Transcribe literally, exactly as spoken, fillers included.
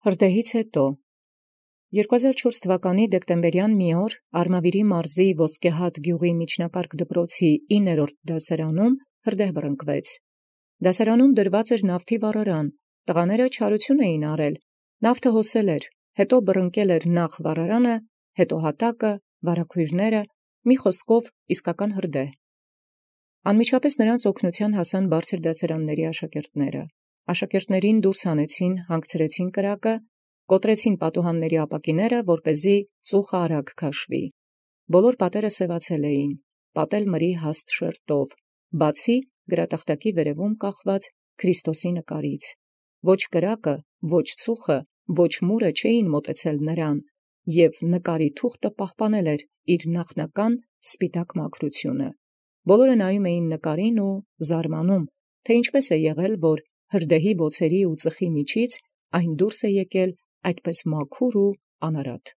Հրդեհից յետո երկու հազար վաթ թվականի դեկտեմբերյան մի օր Արմավիրի մարզի Ոսկեհադ գյուղի միջնակարգ դպրոցի իններորդ դասարանում հրդեհ բռնկվեց. դասարանում դրված էր նավթի վառարան, տղաները չարություն էին արել, նավթը հոսել էր, հետո բռնկել էր նախ վառարանը, հետո հատակը, վարագոյրները, մի խոսքով իսկական հրդեհ։ Անմիջապես նրանց օգնութեան հասան բարձր դասարանացն աշակերտները։ Աշակերտներին դուրս հանեցին, հանգցրեցին կրակը, կոտրեցին պատուհանների ապակիները, որպեսզի ծուխը արագ քաշվի։ Բոլոր պատերը սևացել էին, պատել մրի հաստ շերտով, բացի գրատախտակի վերևում կախված Քրիստոսի նկարից։ Ոչ կրակը, ոչ ծուխը, ոչ մուրը չէին մոտեցել նրան, և նկարի թուղթը պահպանել էր իր նախնական սպիտակ մաքրությունը։ Բոլորը նայում էին նկարին ու զարմանում, թե ինչպես է եղել, որ հրդեհի բոցերի ու ծխի միջից այն դուրս է եկել այդպես մաքուր ու անարատ։